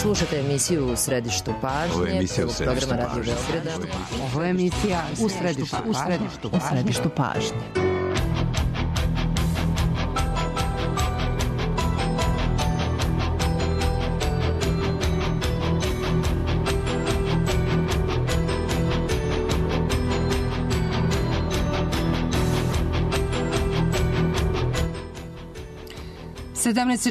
Slušate emisiju U središtu pažnje, prvog programa Radio Beograda. Ovo je emisija U središtu pažnje.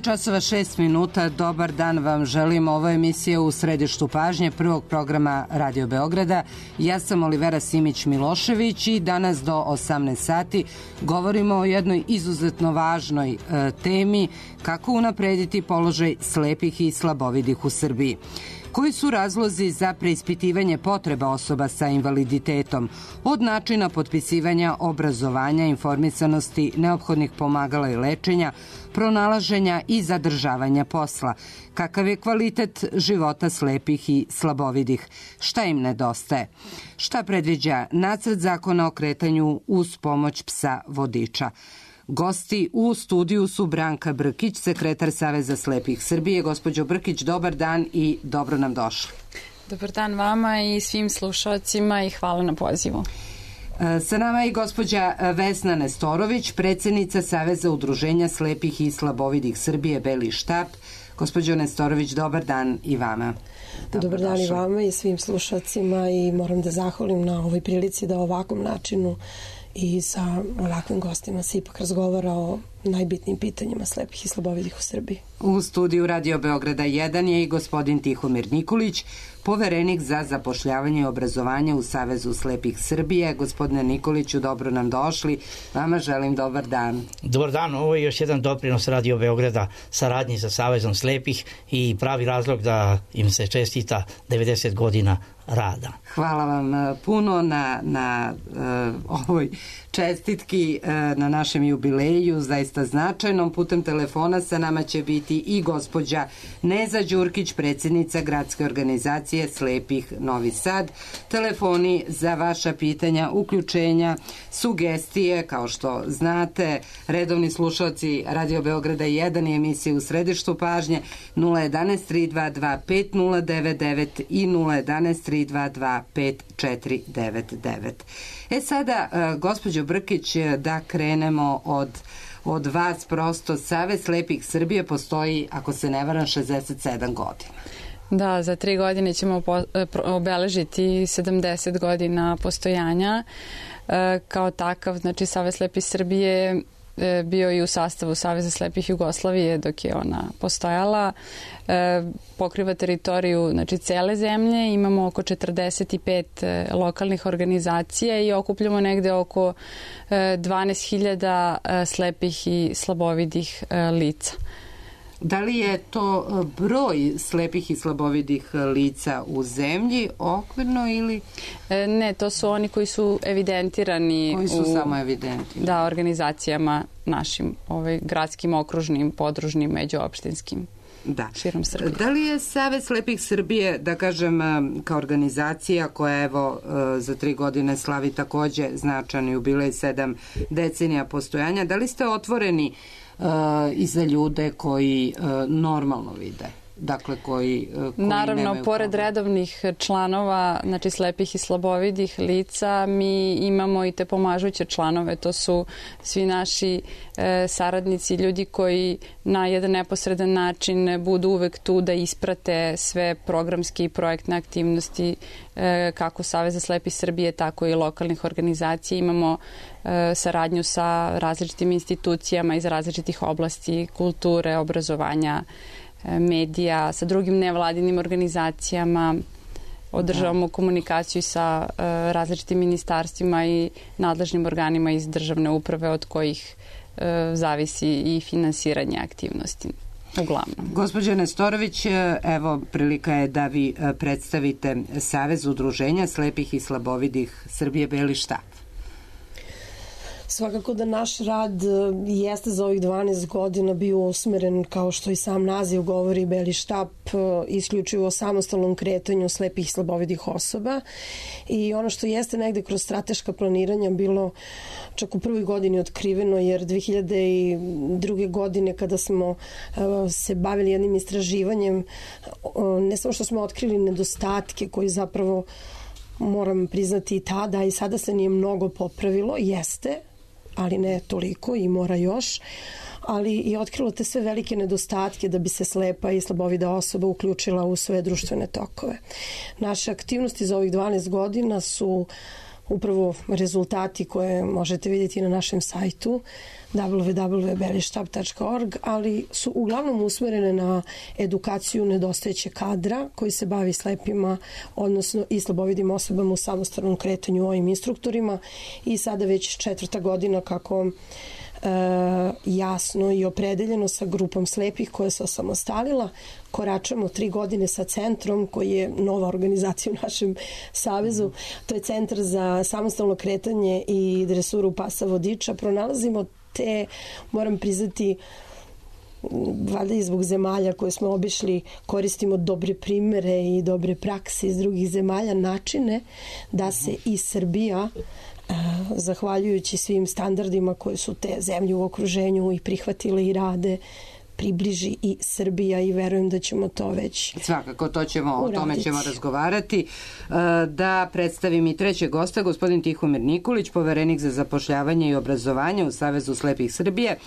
časova 6 minuta. Dobar dan vam želim. Ovo je emisija U središtu pažnje prvog programa Radio Beograda. Ja sam Olivera Simić-Milošević i danas do 18 sati govorimo o jednoj izuzetno važnoj temi: kako unaprediti položaj slepih i slabovidih u Srbiji. Koji su razlozi za preispitivanje potreba osoba sa invaliditetom, od načina potpisivanja, obrazovanja, informisanosti, neophodnih pomagala i lečenja, pronalaženja i zadržavanja posla? Kakav je kvalitet života slepih i slabovidih? Šta im nedostaje? Šta predviđa nacrt zakona o kretanju uz pomoć psa vodiča? Gosti u studiju su Branka Brkić, sekretar Saveza slepih Srbije. Gospođo Brkić, dobar dan i dobro nam došli. Dobar dan vama i svim slušalcima i hvala na pozivu. Sa nama je i gospođa Vesna Nestorović, predsednica Saveza udruženja slepih i slabovidih Srbije Beli štap. Gospođo Nestorović, dobar dan i vama. Dobar dan i vama i svim slušalcima i moram da zahvalim na ovoj prilici da ovakvom načinu i sa ovakvim gostima se ipak razgovara o najbitnijim pitanjima slepih i slabovidih u Srbiji. U studiju Radio Beograda 1 je i gospodin Tihomir Nikolić, poverenik za zapošljavanje i obrazovanje u Savezu slepih Srbije. Gospodine Nikoliću, dobro nam došli. Vama želim dobar dan. Dobar dan, ovo je još jedan doprinos Radio Beograda saradnji sa Savezom slepih i pravi razlog da im se čestita 90 godina rada. Hvala vam puno na ovoj čestitki na našem jubileju, zaista značajnom. Putem telefona sa nama će biti i gospođa Neza Đurkić, predsjednica gradske organizacije slepih Novi Sad. Telefoni za vaša pitanja, uključenja, sugestije, kao što znate, redovni slušalci Radio Beograda 1 i emisije U središtu pažnje 011 322 5099 i 011 322 5499. Sada, gospođo Brkić, da krenemo od vas prosto. Savez slepih Srbije postoji, ako se ne varam, 67 godina. Da, za 3 godine ćemo obeležiti 70 godina postojanja. Kao takav, znači, Savez slepih Srbije bio i u sastavu Saveza slepih Jugoslavije dok je ona postojala. Pokriva teritoriju, znači, cele zemlje. Imamo oko 45 lokalnih organizacija i okupljamo negde oko 12.000 slepih i slabovidih lica. Da li je to broj slepih i slabovidih lica u zemlji okvirno ili? Ne, to su oni koji su evidentirani. Koji su samo evidentirani? Da, organizacijama našim, gradskim, okružnim, podružnim, međuopštinskim. Da. Širom Srbije. Da li je Savez slepih Srbije, da kažem, kao organizacija koja evo za 3 godine slavi takođe značajan jubilej, 7 decenija postojanja, da li ste otvoreni i za ljude koji normalno vide? Dakle, koji naravno, pored redovnih članova, znači slepih i slabovidih lica, mi imamo i te pomažuće članove. To su svi naši saradnici, ljudi koji na jedan neposredan način budu uvek tu da isprate sve programske i projektne aktivnosti kako Saveza slepih Srbije, tako i lokalnih organizacija. Imamo saradnju sa različitim institucijama iz različitih oblasti kulture, obrazovanja, medija, sa drugim nevladinim organizacijama. Održavamo komunikaciju sa različitim ministarstvima i nadležnim organima iz državne uprave od kojih zavisi i finansiranje aktivnosti. Uglavnom. Gospođo Nestorović, evo prilika je da vi predstavite Savez udruženja slepih i slabovidih Srbije Beli štap. Svakako da naš rad jeste za ovih 12 godina bio usmeren, kao što i sam naziv govori, Beli štab, isključivo o samostalnom kretanju slepih i slabovidih osoba. I ono što jeste negde kroz strateška planiranja bilo čak u prvoj godini otkriveno, jer 2002. godine kada smo se bavili jednim istraživanjem, ne samo što smo otkrili nedostatke koji zapravo, moram priznati i tada i sada se nije mnogo popravilo, jeste, ali ne toliko i mora još, ali i otkrilo te sve velike nedostatke da bi se slepa i slabovida osoba uključila u sve društvene tokove. Naše aktivnosti za ovih 12 godina su upravo rezultati koje možete vidjeti na našem sajtu www.belištab.org, ali su uglavnom usmerene na edukaciju nedostajećeg kadra koji se bavi slepima, odnosno i slabovidim osobama u samostalnom kretanju ovim instruktorima i sada već 4. godina kako jasno i opredeljeno sa grupom slepih koja se osamostalila. Koračamo 3 godine sa centrom koji je nova organizacija u našem savezu. To je Centar za samostalno kretanje i dresuru pasa vodiča. Pronalazimo te, moram priznati, valjda i zbog zemalja koje smo obišli, koristimo dobre primere i dobre prakse iz drugih zemalja, načine da se i Srbija, zahvaljujući svim standardima koje su te zemlje u okruženju i prihvatile i rade, približi i Srbija i verujem da ćemo to već svakako, o tome ćemo razgovarati. Da predstavim i trećeg gosta, gospodin Tihomir Nikolić, poverenik za zapošljavanje i obrazovanje u Savezu slepih Srbije.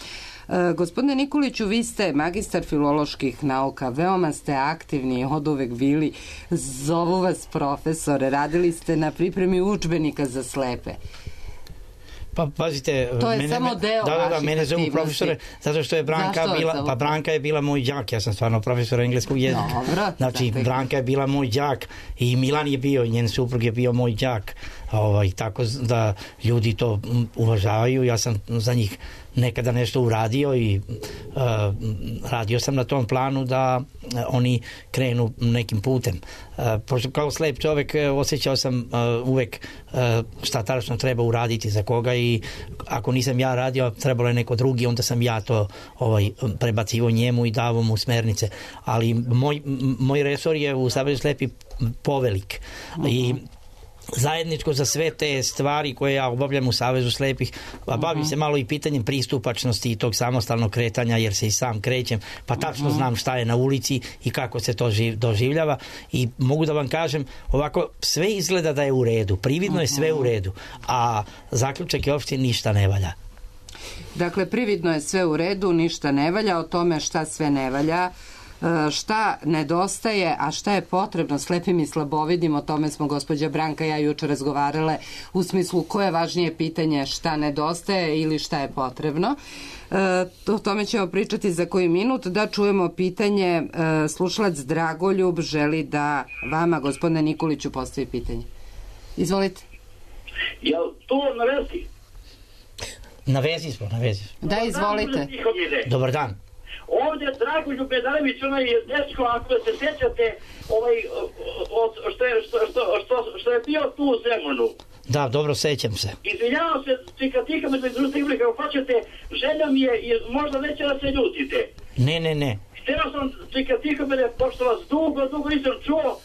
Gospodine Nikoliću, vi ste magistar filoloških nauka, veoma ste aktivni, od uvek bili, zovu vas profesore, radili ste na pripremi udžbenika za slepe. Pa pazite, to je samo deo vaših mene zovu profesore zato što je Branka je bila moj đak, ja sam stvarno profesor engleskog jezika. Dobro, znači Branka je bila moj đak i Milan je bio, njen suprug je bio moj đak. Tako da ljudi to uvažavaju, ja sam za njih nekada nešto uradio i radio sam na tom planu da oni krenu nekim putem. Pošto kao slep čovek osjećao sam uvek šta tačno treba uraditi za koga i ako nisam ja radio, trebalo je neko drugi, onda sam ja to prebacivo njemu i davo mu smernice. Ali moj resor je u Savezu slepih povelik i zajedničko za sve te stvari koje ja obavljam u Savezu slepih, a bavim se malo i pitanjem pristupačnosti i tog samostalnog kretanja, jer se i sam krećem, pa tačno znam šta je na ulici i kako se to doživljava i mogu da vam kažem, ovako sve izgleda da je u redu, prividno je sve u redu, a zaključak je uopšte ništa ne valja. Dakle, prividno je sve u redu, ništa ne valja, o tome šta sve ne valja, šta nedostaje, a šta je potrebno slepim i slabovidim, o tome smo gospođa Branka i ja juče razgovarale u smislu koje je važnije pitanje, šta nedostaje ili šta je potrebno. O tome ćemo pričati za koji minut. Da čujemo pitanje, slušalac Dragoljub želi da vama, gospodine Nikoliću, postavi pitanje. Izvolite. Jel to na vezi? Na vezi smo. Da, izvolite. Dobar dan. Ovdje Dragoljub Bedanović, onaj dečko, ako se sjećate, što je bio tu u Zemunu. Da, dobro, sećam se. Izvinjavam se, čika me kako hoćete, želja mi je, možda neće da se ljutite. Ne. Htio sam, čika me, pošto vas dugo nisam čuo,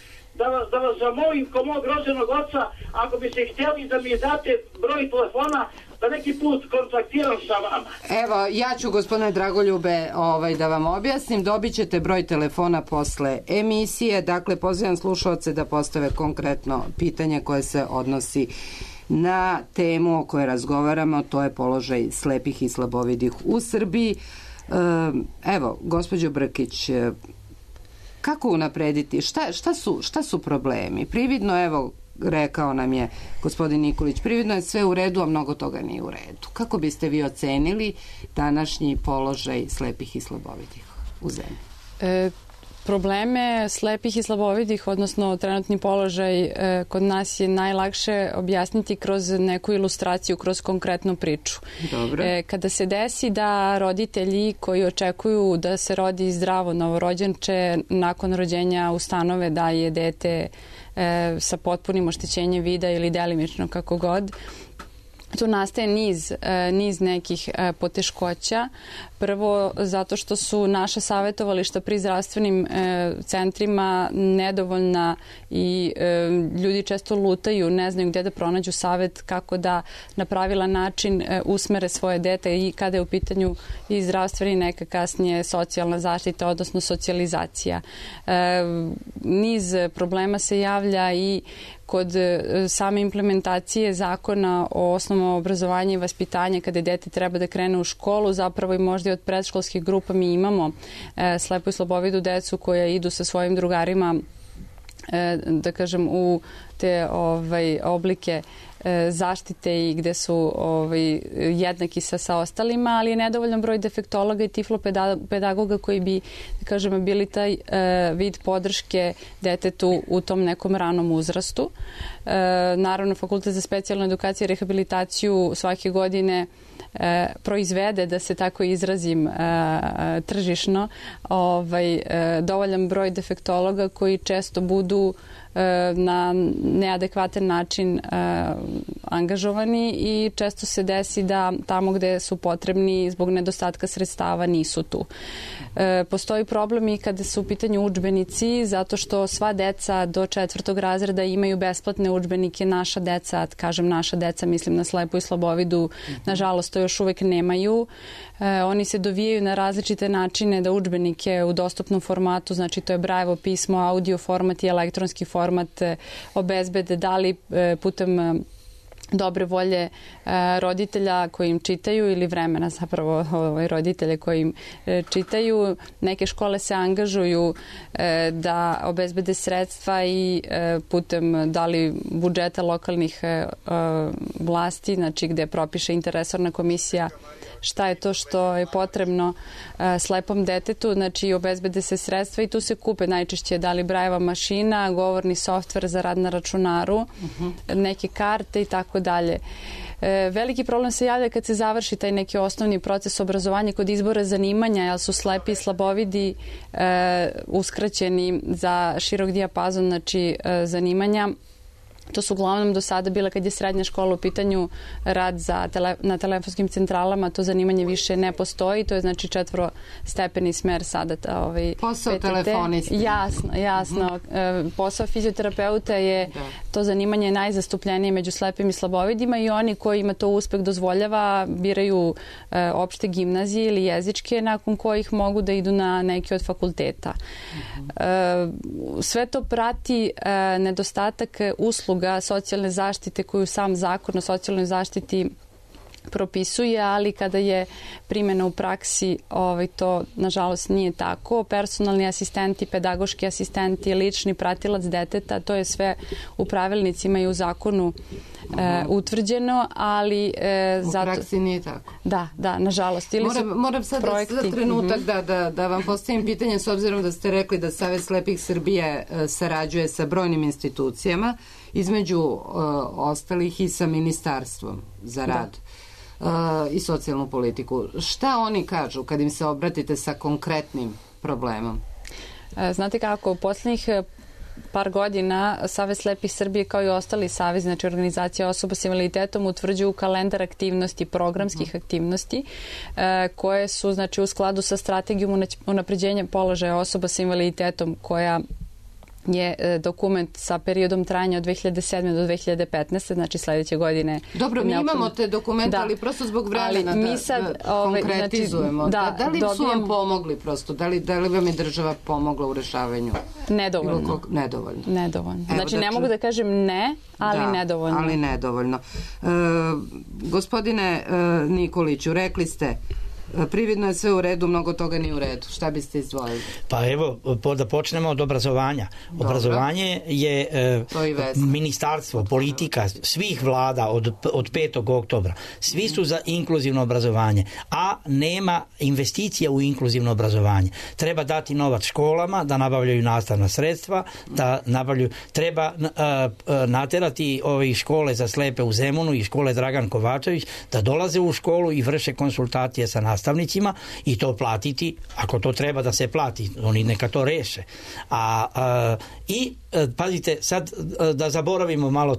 da vas zamolim ko mog rođenog oca, ako bi se htjeli da mi date broj telefona, da neki put kontaktiram sa vama. Evo, ja ću, gospodine Dragoljube, da vam objasnim. Dobit ćete broj telefona posle emisije. Dakle, pozivam slušalce da postave konkretno pitanje koje se odnosi na temu o kojoj razgovaramo, to je položaj slepih i slabovidih u Srbiji. Evo, gospođo Brkić, kako unaprediti? Šta su problemi? Prividno, evo, rekao nam je gospodin Nikolić, prividno je sve u redu, a mnogo toga nije u redu. Kako biste vi ocenili današnji položaj slepih i slabovidih u zemlji? Probleme slepih i slabovidih, odnosno trenutni položaj kod nas je najlakše objasniti kroz neku ilustraciju, kroz konkretnu priču. Dobro. Kada se desi da roditelji koji očekuju da se rodi zdravo novorođenče nakon rođenja ustanove da je dete sa potpunim oštećenjem vida ili delimično kako god, tu nastaje niz nekih poteškoća. Prvo, zato što su naša savjetovališta pri zdravstvenim centrima nedovoljna i ljudi često lutaju, ne znaju gdje da pronađu savjet, kako da na pravilan način usmere svoje dete i kada je u pitanju i zdravstveni, neka kasnije socijalna zaštita, odnosno socijalizacija. Niz problema se javlja i kod same implementacije zakona o osnovnom obrazovanju i vaspitanju, kada dete treba da krene u školu, zapravo i možda i od predškolskih grupa mi imamo slepu i slabovidu decu koja idu sa svojim drugarima, da kažem, u te oblike zaštite i gde su jednaki sa ostalima, ali je nedovoljan broj defektologa i tiflopedagoga koji bi, da kažem, bili taj vid podrške detetu u tom nekom ranom uzrastu. Naravno, Fakultet za specijalnu edukaciju i rehabilitaciju svake godine proizvede, da se tako izrazim tržišno, dovoljan broj defektologa koji često budu na neadekvatan način angažovani i često se desi da tamo gde su potrebni zbog nedostatka sredstava nisu tu. Postoji problem i kada su u pitanju udžbenici, zato što sva deca do 4. razreda imaju besplatne udžbenike. Naša deca, kažem naša deca, mislim na slepu i slabovidu, nažalost to još uvek nemaju. Oni se dovijaju na različite načine da udžbenike u dostupnom formatu, znači to je Braillevo pismo, audio format i elektronski format, obezbede, da li putem dobre volje roditelja koji im čitaju ili vremena zapravo roditelje koji im čitaju. Neke škole se angažuju da obezbede sredstva i putem da li budžeta lokalnih vlasti, znači gde propiše interresorna komisija šta je to što je potrebno slepom detetu, znači obezbede se sredstva i tu se kupe najčešće da li Brailleva mašina, govorni softver za rad na računaru, neke karte i tako dalje. Veliki problem se javlja kad se završi taj neki osnovni proces obrazovanja kod izbora zanimanja, jer su slepi i slabovidi uskraćeni za širok dijapazon, znači zanimanja. To su uglavnom do sada bila, kad je srednja škola u pitanju, rad na telefonskim centralama, to zanimanje više ne postoji, to je znači 4-stepeni smer sada. Posao PTT. telefoniste. Jasno. Posao fizioterapeuta je to zanimanje najzastupljenije među slepim i slabovidima i oni kojima to uspeh dozvoljava biraju opšte gimnazije ili jezičke, nakon kojih mogu da idu na neki od fakulteta. Sve to prati nedostatak usluga socijalne zaštite koju sam zakon o socijalnoj zaštiti propisuje, ali kada je primjena u praksi to nažalost nije tako. Personalni asistenti, pedagoški asistenti, lični pratilac deteta, to je sve u pravilnicima i u zakonu utvrđeno, ali u praksi nije tako. Da, nažalost. Moram sad za trenutak da vam postavim pitanje, s obzirom da ste rekli da Savet slepih Srbije sarađuje sa brojnim institucijama, između ostalih i sa Ministarstvom za rad i socijalnu politiku. Šta oni kažu kad im se obratite sa konkretnim problemom? Znate kako, u posljednjih par godina Savet slepih Srbije, kao i ostali savez, znači organizacija osoba s invaliditetom, utvrđuju kalendar aktivnosti, programskih aktivnosti koje su znači u skladu sa strategijom unapređenja položaja osoba s invaliditetom, koja je dokument sa periodom trajanja od 2007. do 2015. Znači sljedeće godine. Dobro, mi imamo te dokumente, ali prosto zbog vremena da konkretizujemo. Da li su vam pomogli prosto? Da li vam je država pomogla u rešavanju? Nedovoljno. Nedovoljno. Znači ne mogu da kažem ne, ali nedovoljno. Ali nedovoljno. Gospodine Nikoliću, rekli ste prividno je sve u redu, mnogo toga nije u redu. Šta biste izdvojili? Pa evo, da počnemo od obrazovanja. Dobro. Obrazovanje je ministarstvo, politika svih vlada od 5. oktobra. Svi su za inkluzivno obrazovanje, a nema investicija u inkluzivno obrazovanje. Treba dati novac školama da nabavljaju nastavna sredstva, treba naterati ove škole za slepe u Zemunu i škole Dragan Kovačević da dolaze u školu i vrše konsultacije sa nastavnicima. nastavnicima i to platiti, ako to treba da se plati, oni neka to reše. I pazite, sad da zaboravimo malo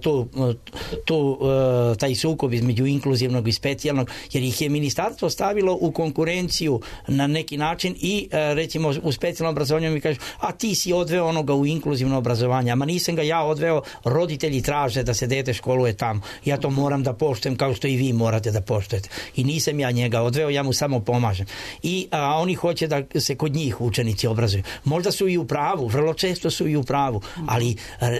taj sukob između inkluzivnog i specijalnog, jer ih je ministarstvo stavilo u konkurenciju na neki način i recimo u specijalnom obrazovanju mi kažu, a ti si odveo onoga u inkluzivno obrazovanje, ama nisam ga ja odveo, roditelji traže da se dete školuje tamo, ja to moram da poštujem kao što i vi morate da poštujete i nisam ja njega odveo, ja mu samo pomažem a oni hoće da se kod njih učenici obrazuju. Možda su i u pravu, vrlo često su i u pravu, ali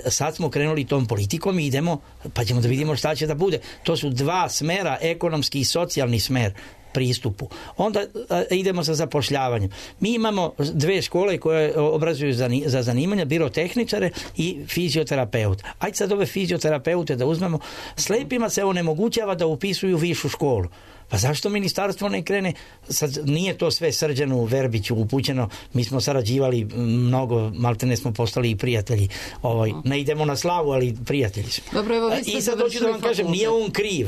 sad smo krenuli tom politikom i idemo, pa ćemo da vidimo šta će da bude. To su dva smera, ekonomski i socijalni smer pristupu. Onda idemo sa zapošljavanjem. Mi imamo dve škole koje obrazuju za zanimanja, birotehničare i fizioterapeut. Ajde sad ove fizioterapeute da uzmemo. Slepima se onemogućava da upisuju višu školu. Pa zašto ministarstvo ne krene? Sad nije to sve Srđanu Verbiću upućeno, mi smo sarađivali mnogo, maltene smo postali i prijatelji. Ne idemo na slavu, ali prijatelji smo. Dobro, evo, i sad hoću da vam kažem, nije on kriv.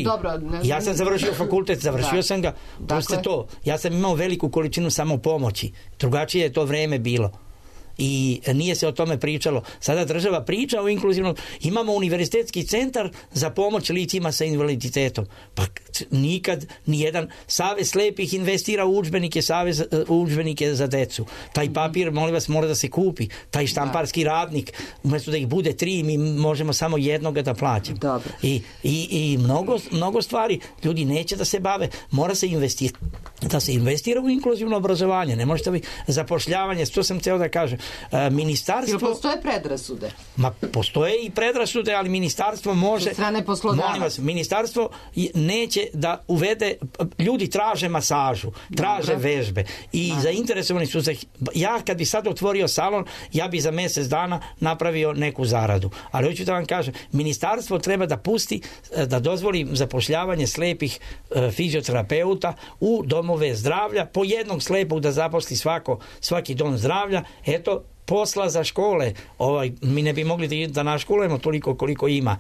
Dobro, ja sam završio fakultet, završio sam ga, dakle, to. Ja sam imao veliku količinu samopomoći. Drugačije je to vreme bilo. I nije se o tome pričalo. Sada država priča o inkluzivnom. Imamo univerzitetski centar za pomoć licima sa invaliditetom. Pa nikad nijedan savez slepih investira u udžbenike za decu. Taj papir, molim vas, mora da se kupi. Taj štamparski radnik, umjesto da ih bude 3, mi možemo samo jednoga da plaćamo. I mnogo stvari ljudi neće da se bave. Mora se investira u inkluzivno obrazovanje. Ne možete zapošljavanje, to sam hteo da kažem. Ministarstvo... Jel postoje predrasude? Ma, postoje i predrasude, ali ministarstvo može... Od strane poslodavaca. Molim vas, ministarstvo neće da uvede... Ljudi traže masažu, traže vežbe i zainteresovani su za... Ja kad bi sad otvorio salon, ja bi za mjesec dana napravio neku zaradu. Ali hoću da vam kažem, ministarstvo treba da pusti, da dozvoli zapošljavanje slepih fizioterapeuta u domove zdravlja, po jednog slepog da zaposli svaki dom zdravlja. Eto, posla za škole. Mi ne bi mogli da naškolujemo toliko koliko ima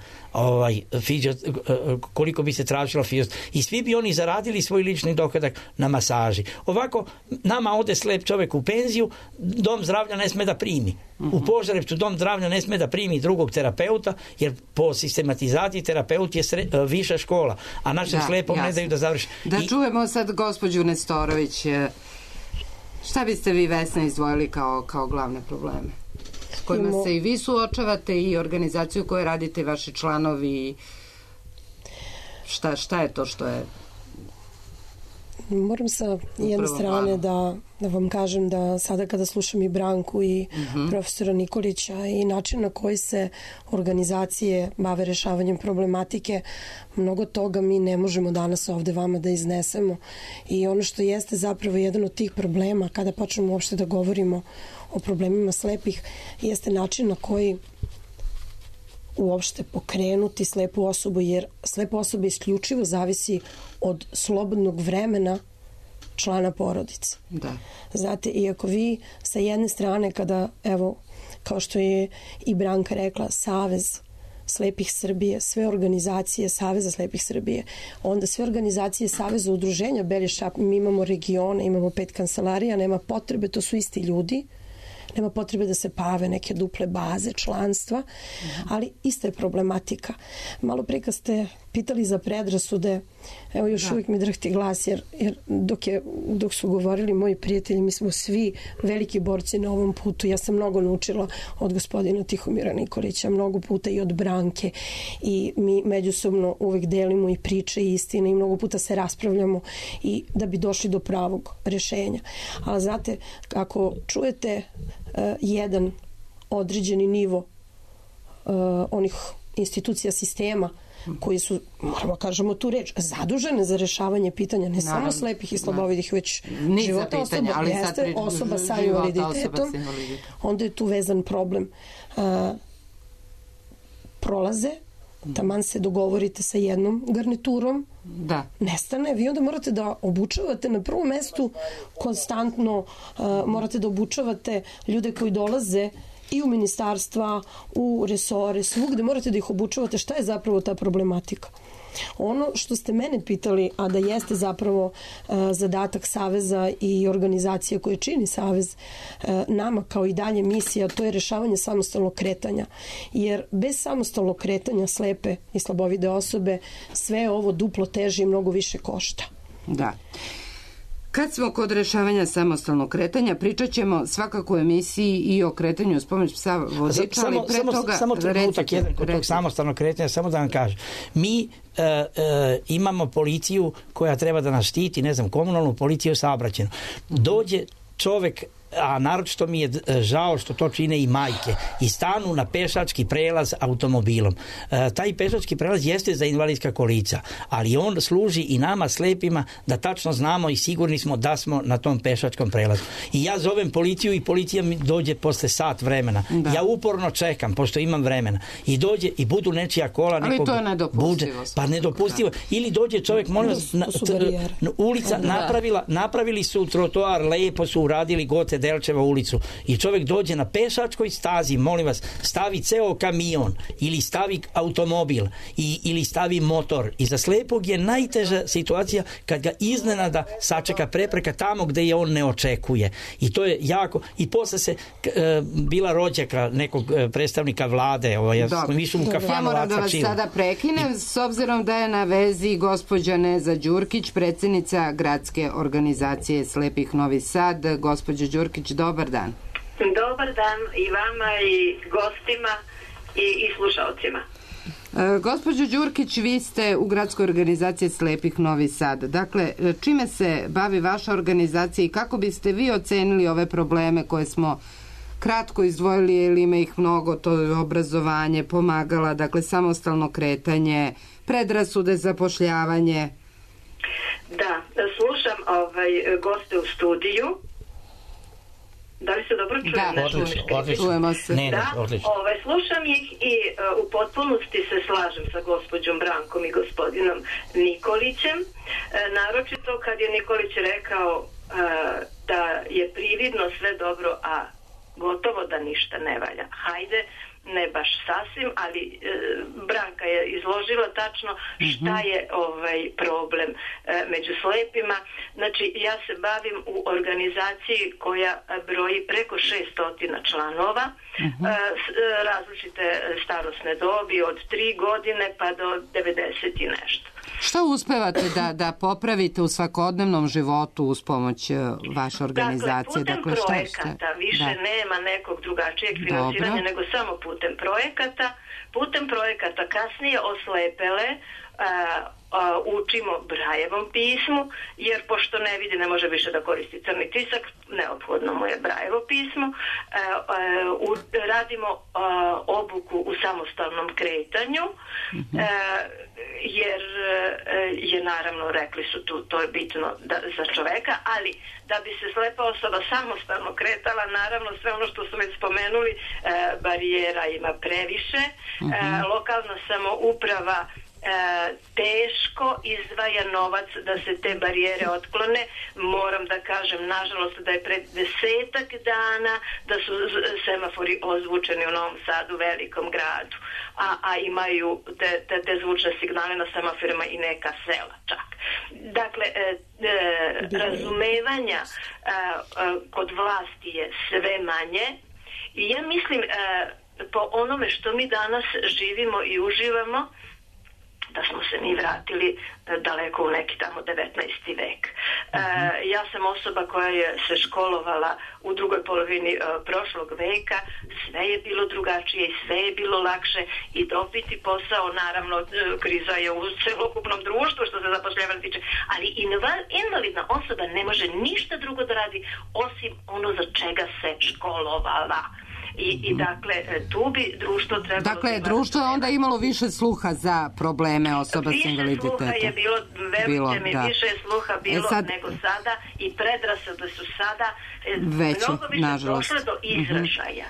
koliko bi se tražilo i svi bi oni zaradili svoj lični dohodak na masaži. Ovako, nama ode slep čovjek u penziju, dom zdravlja ne sme da primi. U Požarevcu dom zdravlja ne sme da primi drugog terapeuta, jer po sistematizaciji terapeut je viša škola, a našem slepom ne daju da završi. Da čujemo sad gospođu Nestorović. Šta biste vi, Vesna, izdvojili kao glavne probleme? S kojima se i vi suočavate i organizaciju koju radite i vaši članovi? Šta je to što je... Moram sa jedne strane da vam kažem da sada kada slušam i Branku i profesora Nikolića i način na koji se organizacije bave rešavanjem problematike, mnogo toga mi ne možemo danas ovde vama da iznesemo. I ono što jeste zapravo jedan od tih problema, kada počnemo uopšte da govorimo o problemima slepih, jeste način na koji uopšte pokrenuti slepu osobu, jer slepa osoba isključivo zavisi od slobodnog vremena člana porodice. Znate, iako vi sa jedne strane, kada, evo, kao što je i Branka rekla, Savez slepih Srbije, sve organizacije Saveza slepih Srbije, onda sve organizacije Saveza udruženja Belje, mi imamo regione, imamo 5 kancelarija, nema potrebe, to su isti ljudi, nema potrebe da se pave neke duple baze članstva, ali ista je problematika. Malo prije kad ste pitali za predrasude, evo još uvijek mi drhti glas, jer dok su govorili moji prijatelji, mi smo svi veliki borci na ovom putu. Ja sam mnogo naučila od gospodina Tihomira Nikolića, mnogo puta i od Branke, i mi međusobno uvijek delimo i priče i istine i mnogo puta se raspravljamo i da bi došli do pravog rešenja. Ali znate, ako čujete jedan određeni nivo onih institucija sistema koji su, moramo kažemo tu reč, zadužene za rešavanje pitanja ne samo slepih i slabovidih, već života osoba, jeste osoba sa invaliditetom, onda je tu vezan problem. Prolaze, taman se dogovorite sa jednom garniturom, nestane, vi onda morate da obučavate na prvom mestu konstantno, morate da obučavate ljude koji dolaze i u ministarstva, u resore, svugde morate da ih obučavate šta je zapravo ta problematika. Ono što ste mene pitali, a da jeste zapravo zadatak Saveza i organizacija koje čini Savez, nama kao i dalje misija, to je rešavanje samostalnog kretanja. Jer bez samostalnog kretanja slepe i slabovide osobe sve ovo duplo teže i mnogo više košta. Da. Kad smo kod rešavanja samostalnog kretanja, pričat ćemo svakako u emisiji i o kretanju s pomoć psa vodiča, ali pre toga... Samo trenutak jedan kod tog samostalnog kretanja, samo da vam kažem. Mi imamo policiju koja treba da nas štiti, ne znam, komunalnu policiju saobraćajnu. Dođe čovek, a naročito mi je žao što to čine i majke, i stanu na pešački prelaz automobilom. Taj pešački prelaz jeste za invalidska kolica, ali on služi i nama slepima da tačno znamo i sigurni smo da smo na tom pešačkom prelazu. I ja zovem policiju i policija mi dođe posle sat vremena. Da. Ja uporno čekam, pošto imam vremena. I dođe i budu nečija kola, ali nekog to je nedopustivo. Pa nedopustivo. Da. Ili dođe čovjek, molim vas, ulica napravili su trotoar, lepo su uradili Gote Delčeva ulicu i čovjek dođe na pešačkoj stazi, molim vas, stavi ceo kamion ili stavi automobil ili stavi motor, i za slepog je najteža situacija kad ga iznenada sačeka prepreka tamo gde je on ne očekuje, i to je jako. I posle se bila rođaka nekog predstavnika vlade, ja sam išao u kafanu. Ja moram da vas sada prekinem, s obzirom da je na vezi gospođa Neza Đurkić, predsjednica Gradske organizacije slepih Novi Sad. Gospođo Đurkić, dobar dan. Dobar dan i vama i gostima i slušalcima. Gospođo Đurkić, vi ste u Gradskoj organizaciji slepih Novi Sad. Dakle, čime se bavi vaša organizacija i kako biste vi ocenili ove probleme koje smo kratko izdvojili, jer ima ih mnogo, to je obrazovanje, pomagala, dakle, samostalno kretanje, predrasude, zapošljavanje? Da, slušam goste u studiju. Da li se dobro čujem? Da, čujemo se. Slušam ih i u potpunosti se slažem sa gospođom Brankom i gospodinom Nikolićem. Naročito kad je Nikolić rekao da je prividno sve dobro, a gotovo da ništa ne valja. Hajde, ne baš sasvim, ali Branka je izložila tačno šta je problem među slepima. Znači, ja se bavim u organizaciji koja broji preko 600 članova, različite starosne dobi, od 3 godine pa do 90 i nešto. Šta uspevate da popravite u svakodnevnom životu uz pomoć vaše organizacije? Dakle, putem projekata, više nema nekog drugačijeg finansiranja nego samo putem projekata. Putem projekata kasnije oslepele učimo Brajevom pismu, jer pošto ne vidi, ne može više da koristi crni tisak, neophodno mu je Brajevo pismo. Radimo obuku u samostalnom kretanju, jer je naravno, rekli su tu, to je bitno za čoveka, ali da bi se slepa osoba samostalno kretala, naravno sve ono što su već spomenuli, barijera ima previše, lokalna samouprava teško izdvaja novac da se te barijere otklone. Moram da kažem, nažalost, da je pred 10-ak dana da su semafori ozvučeni u Novom Sadu, velikom gradu, a imaju te zvučne signale na semaforima i neka sela čak. Dakle, razumevanja kod vlasti je sve manje i ja mislim, po onome što mi danas živimo i uživamo, da smo se mi vratili daleko u neki tamo 19. vek. Ja sam osoba koja je se školovala u drugoj polovini prošlog veka, sve je bilo drugačije i sve je bilo lakše i dobiti posao, naravno kriza je u celokupnom društvu što se zapošljavanja tiče, ali invalidna osoba ne može ništa drugo da radi osim ono za čega se školovala. I dakle, tu bi društvo trebalo... Dakle, društvo je onda imalo više sluha za probleme osoba s invaliditetom. Više sluha je bilo, verujte mi, više sluha bilo nego sada i predrasude su sada mnogo više došle do izražaja.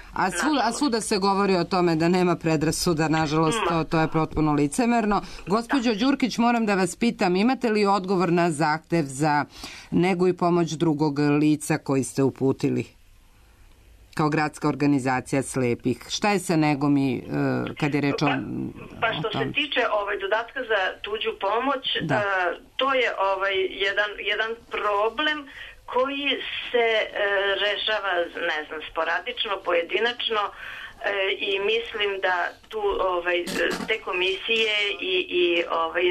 A svuda se govori o tome da nema predrasuda, nažalost, to je potpuno licemerno. Gospođo Đurkić, moram da vas pitam, imate li odgovor na zahtev za negu i pomoć drugog lica koji ste uputili? kao gradska organizacija slepih. Šta je sa negom i kad je reč o Pa što se tiče dodatka za tuđu pomoć, to je jedan problem koji se rešava, ne znam, sporadično, pojedinačno, i mislim da tu te komisije i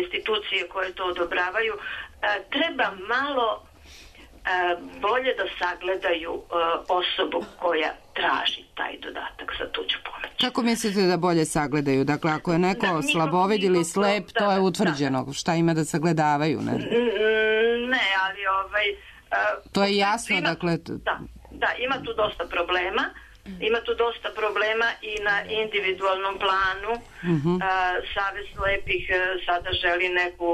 institucije koje to odobravaju treba malo bolje da sagledaju osobu koja traži taj dodatak za tuđu pomoć. Kako mislite da bolje sagledaju? Dakle, ako je neko slabovid ili slep, to je utvrđeno. Šta ima da sagledavaju? Ne, ali to je jasno, dakle... Da, ima tu dosta problema. Ima tu dosta problema i na individualnom planu. Savez slepih sada želi neku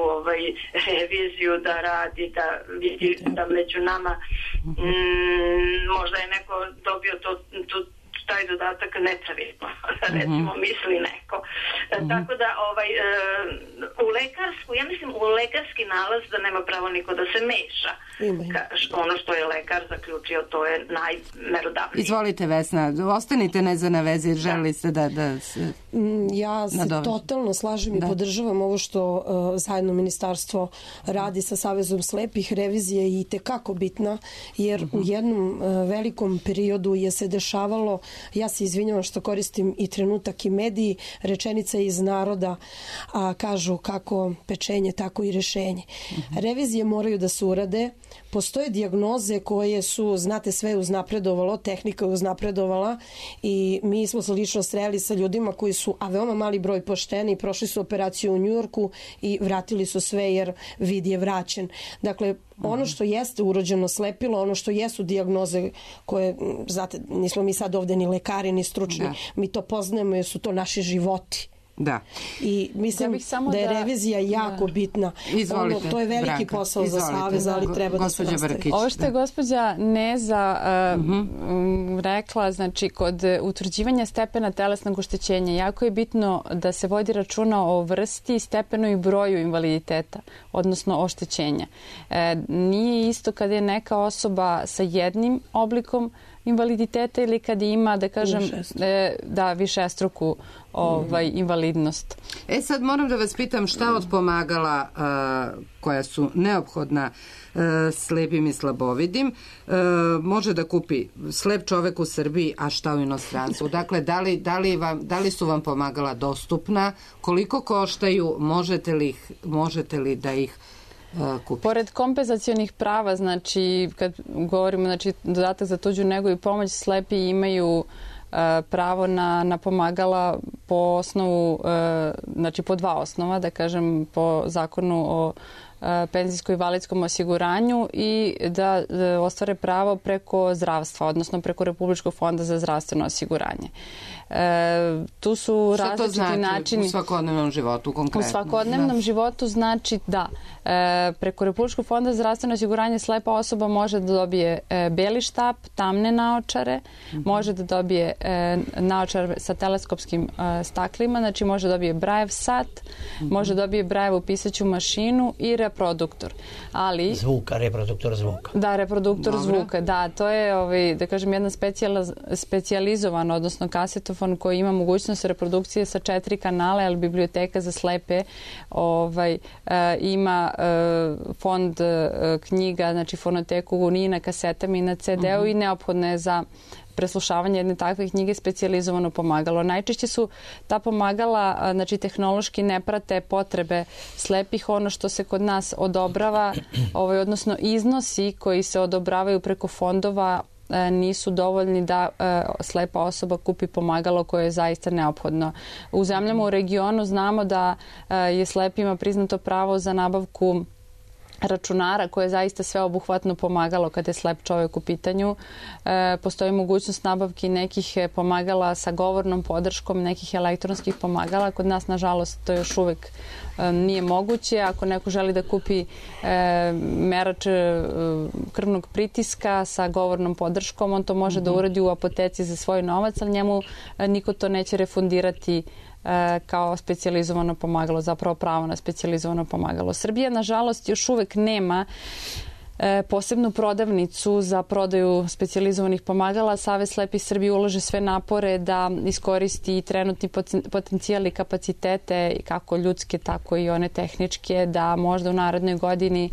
reviziju da radi, da vidi da među nama možda je neko dobio taj dodatak nepravilno, recimo misli neko. Tako da ja mislim u lekarski nalaz da nema pravo niko da se meša. Ono što je lekar zaključio, to je najmerodavnije. Izvolite, Vesna, ostanite ne na vezi, želili ste da se... Ja se totalno slažem i podržavam ovo što zajedno ministarstvo radi sa Savezom slepih. Revizija je i tekako bitna, jer u jednom velikom periodu je se dešavalo, ja se izvinjavam što koristim i trenutak i mediji, rečenica iz naroda, kažu kako pečenje, tako i rešenje. Revizije moraju da se urade, postoje dijagnoze koje su, znate, sve uznapredovalo, tehnika je uznapredovala i mi smo se lično sreli sa ljudima koji su, a veoma mali broj pošteni, prošli su operaciju u Njujorku i vratili su sve jer vid je vraćen. Dakle, ono što jeste urođeno slepilo, ono što jesu dijagnoze koje, znate, nismo mi sad ovde ni lekari, ni stručni, mi to poznajemo jer su to naši životi. Da. I mislim da je revizija jako bitna. Izvolite, to je veliki Branka, posao za Savez, ali treba da se nastavi. Ovo što je gospođa Neza rekla, znači kod utvrđivanja stepena telesnog oštećenja jako je bitno da se vodi računa o vrsti, stepenu i broju invaliditeta, odnosno oštećenja. Nije isto kada je neka osoba sa jednim oblikom invaliditeta ili kad ima, da kažem, višestruku invalidnost. Sad moram da vas pitam šta od pomagala koja su neophodna slepim i slabovidim može da kupi slep čovek u Srbiji, a šta u inostranstvu? Dakle, da li su vam pomagala dostupna? Koliko koštaju? Možete li da ih kupiti? Pored kompenzacionih prava, znači kad govorimo, znači dodatak za tuđu negu i pomoć, slepi imaju pravo na pomagala po osnovu, znači po dva osnova, da kažem, po zakonu o penzijsko-invalidskom osiguranju i da ostvare pravo preko zdravstva, odnosno preko Republičkog fonda za zdravstveno osiguranje. Tu su različiti načini. Šta to znači u svakodnevnom životu konkretno? U svakodnevnom životu znači da preko Republičkog fonda za zdravstveno osiguranje slepa osoba može da dobije beli štap, tamne naočare, može da dobije naočar sa teleskopskim staklima, znači može da dobije Brajev sat, može da dobije Brajevu pisaću mašinu i reproduktor. Ali reproduktor zvuka. Da, reproduktor zvuka, da, to je, da kažem, jedna specijalizovan, odnosno kasetofon koji ima mogućnost reprodukcije sa 4 kanala, ali biblioteka za slepe ima fond knjiga, znači fonoteku ni na kasetama i na CD-u i neophodno je za preslušavanje jedne takve knjige specijalizovano pomagalo. Najčešće su ta pomagala, znači tehnološki ne prate potrebe slepih. Ono što se kod nas odobrava, odnosno iznosi koji se odobravaju preko fondova nisu dovoljni da slepa osoba kupi pomagalo koje je zaista neophodno. U zemljama u regionu znamo da je slepima priznato pravo za nabavku računara koje je zaista sveobuhvatno pomagalo kada je slep čovjek u pitanju. Postoji mogućnost nabavki nekih pomagala sa govornom podrškom, nekih elektronskih pomagala. Kod nas, nažalost, to još uvek nije moguće. Ako neko želi da kupi merač krvnog pritiska sa govornom podrškom, on to može da uradi u apoteci za svoj novac, ali njemu niko to neće refundirati kao specijalizovano pomagalo, zapravo pravo na specijalizovano pomagalo. Srbija, nažalost, još uvek nema posebnu prodavnicu za prodaju specijalizovanih pomagala. Savez slepih Srbije ulaže sve napore da iskoristi trenutni potencijal i kapacitete, kako ljudske, tako i one tehničke, da možda u narednoj godini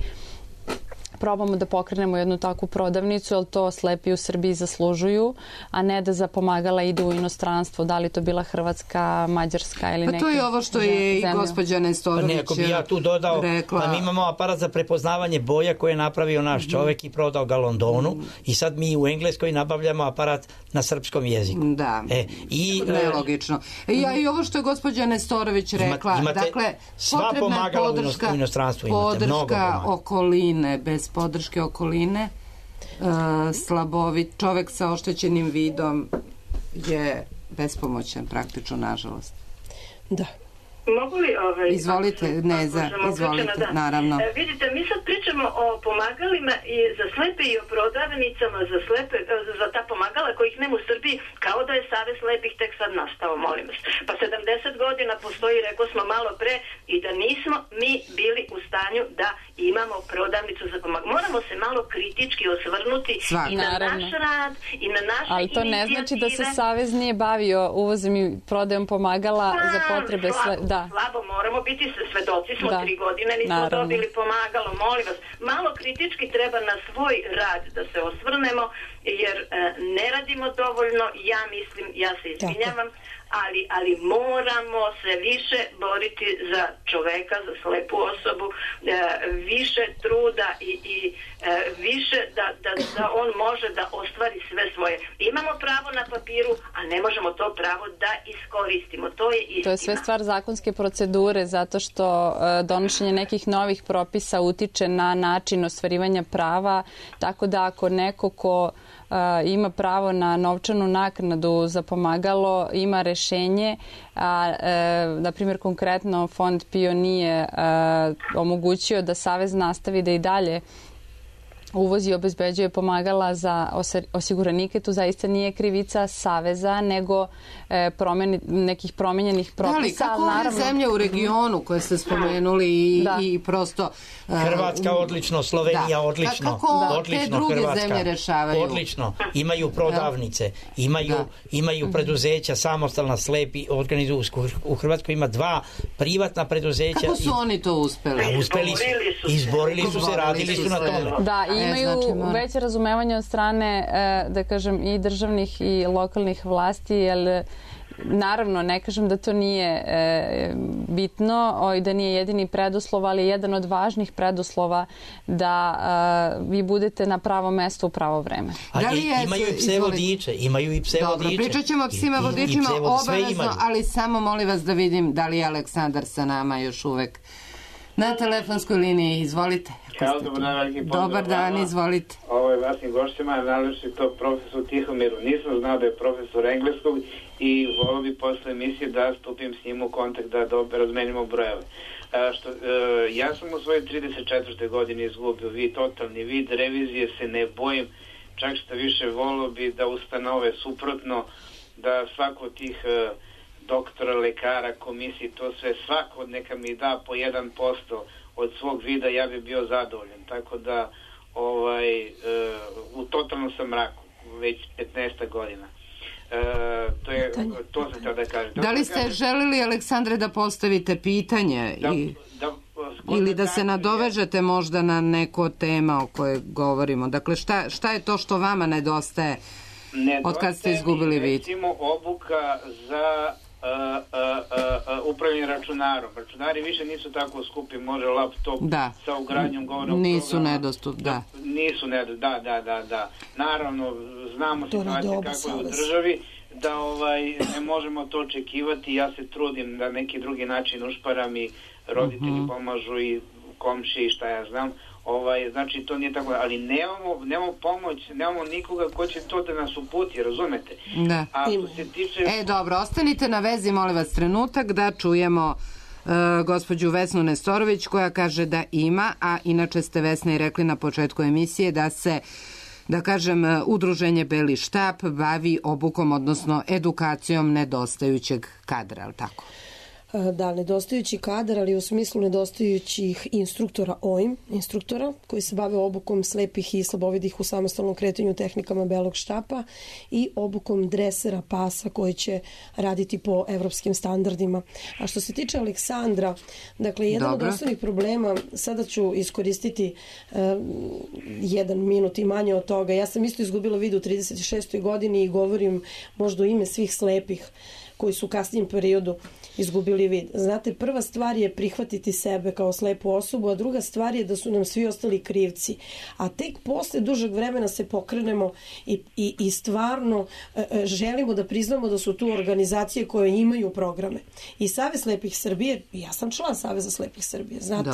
probamo da pokrenemo jednu takvu prodavnicu, jer to slepi u Srbiji zaslužuju, a ne da za pomagala idu u inostranstvo, da li to bila Hrvatska, Mađarska ili neka. Pa to je ovo što je i gospođa Nestorović rekla. Bi ja tu dodao, pa mi imamo aparat za prepoznavanje boja koje je napravio naš čovek i prodao ga Londonu i sad mi u Engleskoj nabavljamo aparat na srpskom jeziku. Da, nelogično. I ovo što je gospođa Nestorović rekla, dakle, sva pomagala u inostranstvu imate, mnogo pomagala. Okoline, bez podrške okoline, slabovit čovek sa oštećenim vidom je bespomoćan praktično, nažalost. Da. Mogu li izvolite, izvolite, naravno. Vidite, mi sad pričamo o pomagalima i za slepe i o prodavnicama za slepe, za ta pomagala kojih nema u Srbiji, kao da je Savez slepih tek sad nastao, molim vas. Pa 70 godina postoji, rekao smo malo pre, i da nismo mi bili u stanju da imamo prodavnicu za pomagala. Moramo se malo kritički osvrnuti i na naš rad i na naše inicijative. Ali to ne znači da se Savez nije bavio uvozom i prodajom pomagala za potrebe slabo, moramo biti svedoci smo 3 godine, nismo dobili pomagalo, molim vas. Malo kritički treba na svoj rad da se osvrnemo, jer ne radimo dovoljno, ja mislim, ja se izvinjavam, ali moramo se više boriti za čoveka, za slepu osobu, više truda i više da on može da ostvari sve svoje. Imamo pravo na papiru, a ne možemo to pravo da iskoristimo. To je istina. To je sve stvar zakonske procedure, zato što donošenje nekih novih propisa utiče na način ostvarivanja prava, tako da ako neko ko ima pravo na novčanu naknadu za pomagalo, ima rešenje, a na primjer konkretno Fond PIO nije omogućio da Savez nastavi da i dalje uvozi i obezbeđuje pomagala za osiguranike, tu zaista nije krivica Saveza, nego nekih promenjenih propisa. Da, ali kako ove zemlje u regionu koje ste spomenuli i prosto... Hrvatska odlično, Slovenija odlično. Kako te druge zemlje rešavaju? Odlično. Imaju prodavnice, imaju preduzeća, samostalna slepi organizuju. U Hrvatskoj ima 2 privatna preduzeća. Kako su oni to uspeli? Uspeli su, izborili su se, radili su na tome. Da, imaju veće razumevanje od strane, da kažem, i državnih i lokalnih vlasti, jer naravno, ne kažem da to nije bitno i da nije jedini preduslov, ali je jedan od važnih preduslova da vi budete na pravo mesto u pravo vreme. Imaju i pse vodiče, Dobro, pričat ćemo o psima vodičima obavezno, ali samo molim vas da vidim da li je Aleksandar sa nama još uvek na telefonskoj liniji. Izvolite. Dobar dan, izvolite. Vašim gošćima, najlepši to profesor Tihomiru. Nisam znao da je profesor engleskog i volio bi posle emisije da stupim s njim u kontakt, da razmenimo brojeve. Ja sam u svojoj 34. godini izgubio totalni vid, revizije se ne bojim, čak što više volio bi da ustanove suprotno, da svako od tih doktora, lekara, komisiji, to sve, svako neka mi da po 1% od svog vida, ja bi bio zadovoljan. Tako da u totalnom sam mraku već 15 godina. To se tada kaže. Da li ste želili, Aleksandre, da postavite pitanje ili da se nadovežete možda na neko tema o kojoj govorimo? Dakle, šta je to što vama nedostaje od kad ste izgubili vid? Recimo obuka za upravljanje računarom. Računari više nisu tako skupi, može laptop sa ugradnjom govornog nisu nedostupni, nisu nedostupni, da. Naravno, znamo situacije kako je u državi, da ne možemo to očekivati. Ja se trudim da neki drugi način ušparam i roditelji pomažu i komšije i šta ja znam. Znači to nije tako, ali nemamo pomoć, nemamo nikoga ko će to da nas uputi, razumete? Da. A što se tiče... Dobro, ostanite na vezi, molim vas, trenutak da čujemo gospođu Vesnu Nestorović koja kaže da ima, a inače ste, Vesna, i rekli na početku emisije da se, da kažem, udruženje Beli štap bavi obukom, odnosno edukacijom nedostajućeg kadra, ali tako? Da, nedostajući kadar, ali u smislu nedostajućih instruktora koji se bave obukom slepih i slabovidih u samostalnom kretanju tehnikama belog štapa i obukom dresera pasa koji će raditi po evropskim standardima. A što se tiče Aleksandra, dakle, jedan od osnovnih problema, sada ću iskoristiti 1 minut i manje od toga. Ja sam isto izgubila vid u 36. godini i govorim možda u ime svih slepih koji su u kasnijem periodu izgubili vid. Znate, prva stvar je prihvatiti sebe kao slepu osobu, a druga stvar je da su nam svi ostali krivci. A tek posle dužeg vremena se pokrenemo i stvarno želimo da priznamo da su tu organizacije koje imaju programe. I Savez slepih Srbije, ja sam član Saveza slepih Srbije, znate,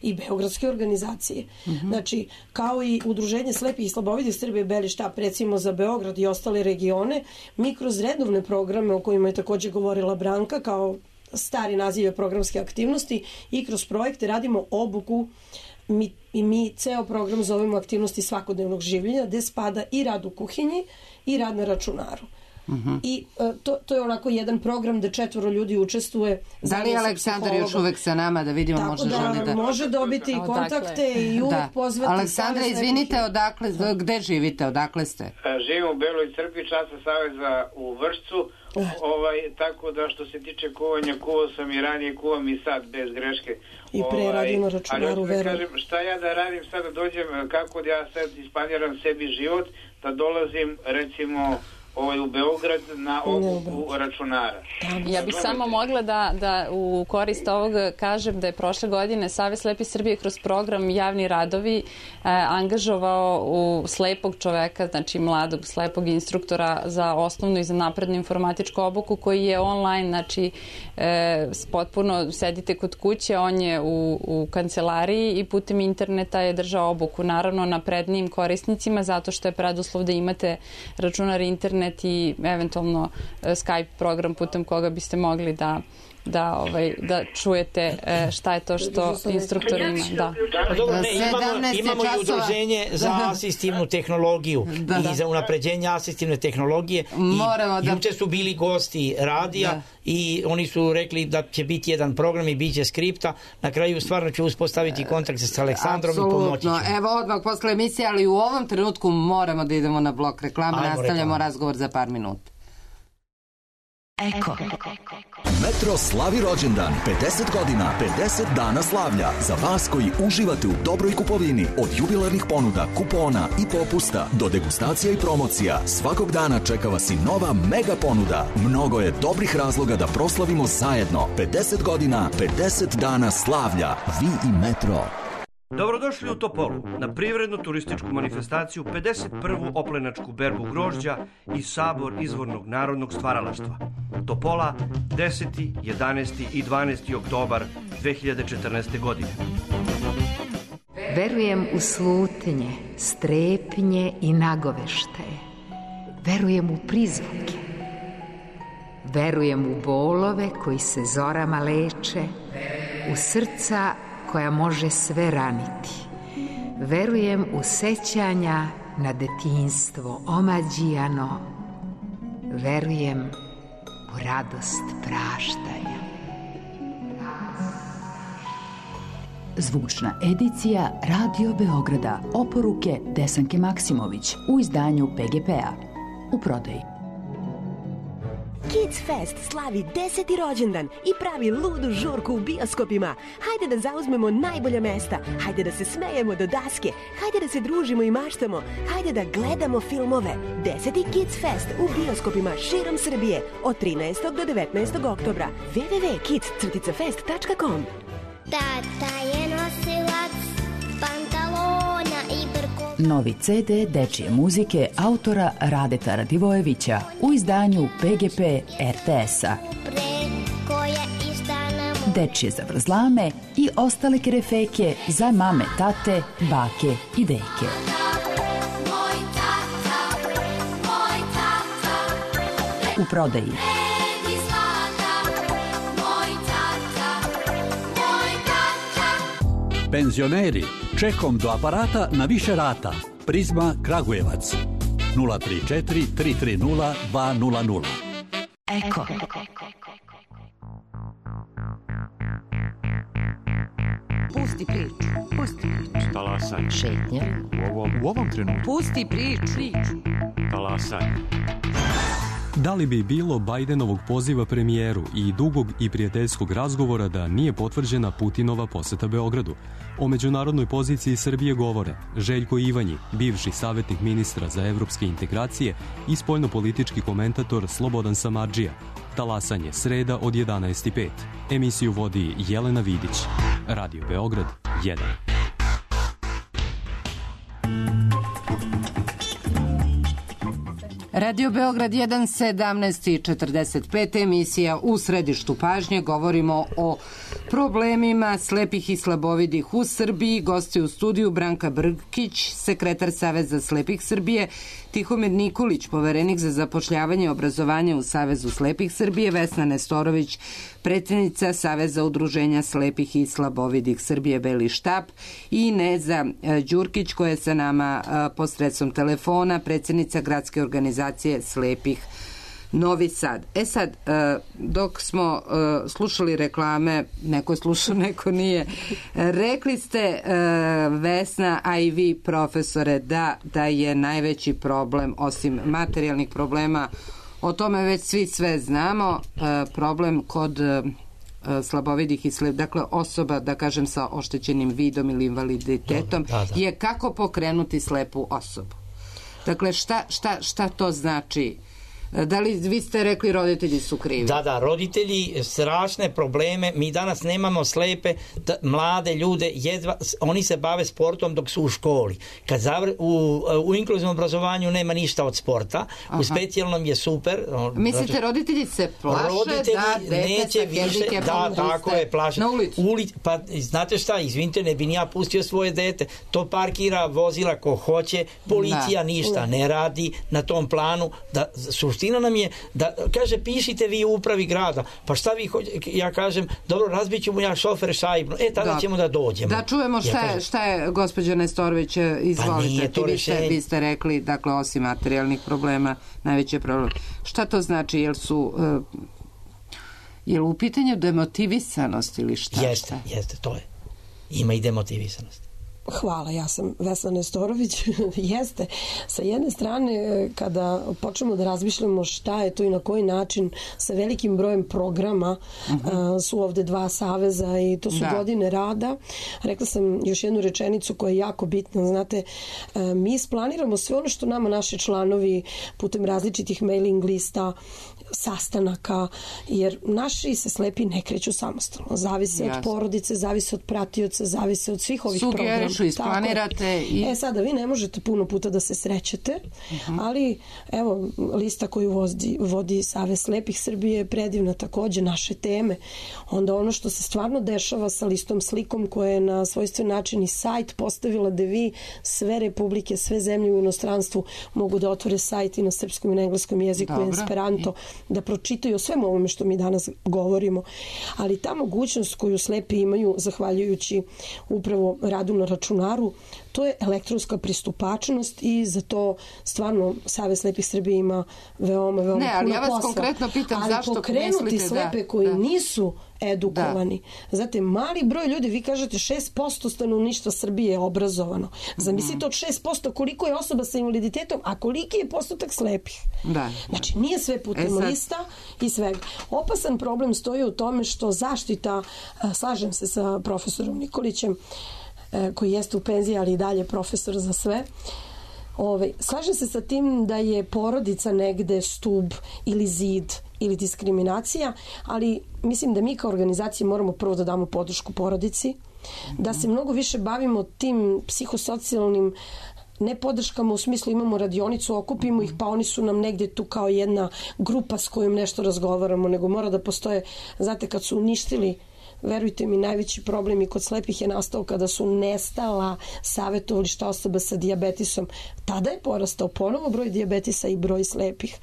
i beogradske organizacije. Znači, kao i Udruženje slepih i slabovidih Srbije Beli štab, recimo za Beograd i ostale regione, mi kroz redovne programe o kojima je takođe govorila Branka, kao stari naziv programske aktivnosti, i kroz projekte radimo obuku. Mi ceo program zovemo aktivnosti svakodnevnog življenja, gde spada i rad u kuhinji i rad na računaru. I to je onako jedan program gde 4 ljudi učestvuje. Da li je Aleksandar još uvek sa nama, da vidimo, možda želi da... Može dobiti kontakte i uvek pozvati. Aleksandra, izvinite, gde živite, odakle ste? Živim u Beloj Crkvi, časa Saveza u Vršcu, tako da što se tiče kuvanja, kuvao sam i ranije, kuvam i sad bez greške. I pre radim na računaru, verujem. Kažem, šta ja da radim sad, da dođem, kako da ja sad isplaniram sebi život, da dolazim recimo u Beograd na obuku računara. Ja bih samo mogla da u korist ovog kažem da je prošle godine Savez slepih Srbije kroz program Javni radovi angažovao u slepog čoveka, znači mladog slepog instruktora za osnovnu i za naprednu informatičku obuku, koji je online, znači potpuno sedite kod kuće, on je u kancelariji i putem interneta je držao obuku, naravno naprednijim korisnicima, zato što je preduslov da imate računar, internet i eventualno Skype program putem koga biste mogli da čujete šta je to što instruktor ima. Imamo i udruženje za asistivnu tehnologiju i za unapređenje asistivne tehnologije. Juče su bili gosti radija i oni su rekli da će biti jedan program i bit će skripta. Na kraju stvarno ću uspostaviti kontakt sa Aleksandrom i pomoći ću. Evo odmah posle emisije, ali u ovom trenutku moramo da idemo na blok reklama. Nastavljamo razgovor za par minuta. Eko. Metro slavi rođendan, 50 godina, 50 dana slavlja. Za vas koji uživate u dobroj kupovini, od jubilarnih ponuda, kupona i popusta do degustacija i promocija, svakog dana čeka vas i nova mega ponuda. Mnogo je dobrih razloga da proslavimo zajedno. 50 godina, 50 dana slavlja. Vi i Metro. Dobrodošli u Topolu na privrednu turističku manifestaciju 51. oplenačku berbu grožđa i sabor izvornog narodnog stvaralaštva. Topola 10., 11. i 12. oktobar 2014. godine. Verujem u slutnje, strepnje i nagoveštaje. Verujem u prizvuke. Verujem u bolove koji se zorama leče, u srca koja može sve raniti. Verujem u sećanja na detinjstvo omađijano. Verujem u radost praštanja. Zvučna edicija Radio Beograda. Oporuke Desanke Maksimović u izdanju PGP-a. U prodaji. Kids Fest slavi 10. rođendan i pravi ludu žurku u bioskopima. Hajde da zauzmemo najbolja mesta, hajde da se smejemo do daske, hajde da se družimo i maštamo, hajde da gledamo filmove. 10. Kids Fest u bioskopima širom Srbije od 13. do 19. oktobra. www.kids-fest.com. Tata je nosilac pantalona i brkova. Novi CD dečije muzike autora Radeta Radivojevića u izdanju PGP RTS-a. Dečije zavrzlame i ostale kerefeke za mame, tate, bake i deke. U prodaji. Penzioneri, čekom do aparata na više rata. Prizma Kragujevac 034 330 200. Eko. 50 godina, 50 dana slavlja. Za vas koji uživate u dobroj kupovini, od jubilarnih ponuda, kupona i popusta do degustacija i promocija, svakog dana čeka vas i nova mega ponuda. Mnogo je dobrih razloga da proslavimo zajedno. 50 godina, 50 dana slavlja. Vi i Metro. Eko. Pusti priču. Pusti priču. Talasanje. Šetnja. U ovom trenutku. Pusti priču. Talasanje. Da li bi bilo Bajdenovog poziva premijeru i dugog i prijateljskog razgovora da nije potvrđena Putinova poseta Beogradu? O međunarodnoj poziciji Srbije govore Željko Ivanji, bivši savjetnik ministra za evropske integracije i spoljnopolitički komentator Slobodan Samardžija. Talasanje, sreda od 11:05. Emisiju vodi Jelena Vidić. Radio Beograd 1. Radio Beograd 1, 17:45, emisija U središtu pažnje. Govorimo o problemima slepih i slabovidih u Srbiji. Gosti u studiju Branka Brkić, sekretar Saveza slepih Srbije, Tihomir Nikolić, poverenik za zapošljavanje i obrazovanje u Savezu slepih Srbije, Vesna Nestorović, predsjednica Saveza udruženja slepih i slabovidih Srbije Beli štap i Neza Đurkić koja je sa nama posredstvom telefona, predsjednica gradske organizacije slepih Novi Sad. Sad, dok smo slušali reklame, neko je slušao, neko nije, rekli ste, Vesna, a i vi, profesore, da je najveći problem, osim materijalnih problema, o tome već svi sve znamo, problem kod slabovidih i dakle osoba, da kažem, sa oštećenim vidom ili invaliditetom, je kako pokrenuti slepu osobu. Dakle, šta to znači? Da li vi ste rekli roditelji su krivi? Da, roditelji strašne probleme. Mi danas nemamo slepe mlade ljude, oni se bave sportom dok su u školi. Kad u inkluzivnom obrazovanju nema ništa od sporta, u specijalnom je super. Mislite, roditelji se plaše da dete sa hendikepom tako je, plaše. Na ulicu? Pa znate šta, izvinite, ne bi ni ja pustio svoje dete. To parkira vozila ko hoće, policija ništa ne radi na tom planu. Suština nam je da, kaže, pišite vi u upravi grada, pa šta vi hoćete, ja kažem, dobro, razbit ću mu ja šofer šajbnu, tada ćemo da dođemo. Da čujemo šta je gospođa Nestorović, izvolite, vi ste rekli, dakle, osim materijalnih problema, najveći problem. Šta to znači, je li u pitanju demotivisanost ili šta? Jeste, to je. Ima i demotivisanost. Hvala, ja sam Vesna Nestorović. Jeste, sa jedne strane, kada počnemo da razmišljamo šta je to i na koji način, sa velikim brojem programa, su ovde dva saveza i to su godine rada. Rekla sam još jednu rečenicu koja je jako bitna. Znate, mi isplaniramo sve ono što nama naši članovi putem različitih mailing lista, sastanaka, jer naši se slepi ne kreću samostalno. Zavise od porodice, zavise od pratioca, zavise od svih ovih programa. Sugerišu, isplanirate. Sada vi ne možete puno puta da se srećete, ali evo, lista koju vodi Savez slepih Srbije je predivna, takođe naše teme. Onda ono što se stvarno dešava sa listom slikom koja je na svojstven način i sajt postavila da vi sve republike, sve zemlje u inostranstvu mogu da otvore sajt i na srpskom i na engleskom jeziku i Esperanto, da pročitaju o svemu ovome što mi danas govorimo. Ali ta mogućnost koju slepi imaju, zahvaljujući upravo radu na računaru, to je elektronska pristupačnost i za to stvarno Savez slepih Srbije ima veoma puno posla. Ali ja vas konkretno pitam zašto mislite da... Ali pokrenuti slepe koji nisu edukovani. Znate, mali broj ljudi, vi kažete 6% stanovništva Srbije je obrazovano. Zamislite od 6% koliko je osoba sa invaliditetom, a koliki je postotak slepih. Znači, nije sve putem lista i svega. Opasan problem stoji u tome što zaštita, slažem se sa profesorom Nikolićem, koji jeste u penziji, ali i dalje profesor za sve. Slažem se sa tim da je porodica negde stub ili zid ili diskriminacija, ali mislim da mi kao organizacija moramo prvo da damo podršku porodici, da se mnogo više bavimo tim psihosocijalnim ne podrškama u smislu imamo radionicu, okupimo ih pa oni su nam negdje tu kao jedna grupa s kojom nešto razgovaramo, nego mora da postoje, znate, kad su uništili, verujte mi, najveći problem i kod slepih je nastao kada su nestala savjetovališta osoba sa dijabetisom. Tada je porastao ponovo broj dijabetisa i broj slepih.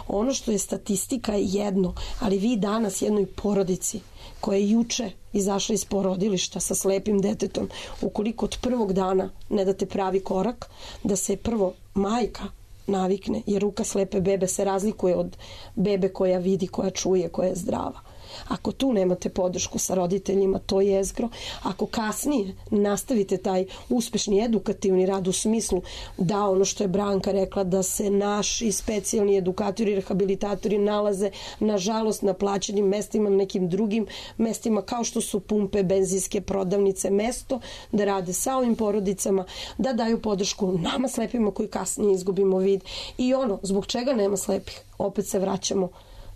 Ono što je statistika je jedno, ali vi danas jednoj porodici koja je juče izašla iz porodilišta sa slepim detetom, ukoliko od prvog dana ne date pravi korak, da se prvo majka navikne, jer ruka slepe bebe se razlikuje od bebe koja vidi, koja čuje, koja je zdrava. Ako tu nemate podršku sa roditeljima, to je jezgro. Ako kasnije nastavite taj uspešni edukativni rad u smislu da ono što je Branka rekla, da se naši specijalni edukatori i rehabilitatori nalaze nažalost na plaćenim mestima, na nekim drugim mestima kao što su pumpe, benzinske prodavnice, mesto da rade sa ovim porodicama, da daju podršku nama slepima koji kasnije izgubimo vid. I ono, zbog čega nema slepih? Opet se vraćamo.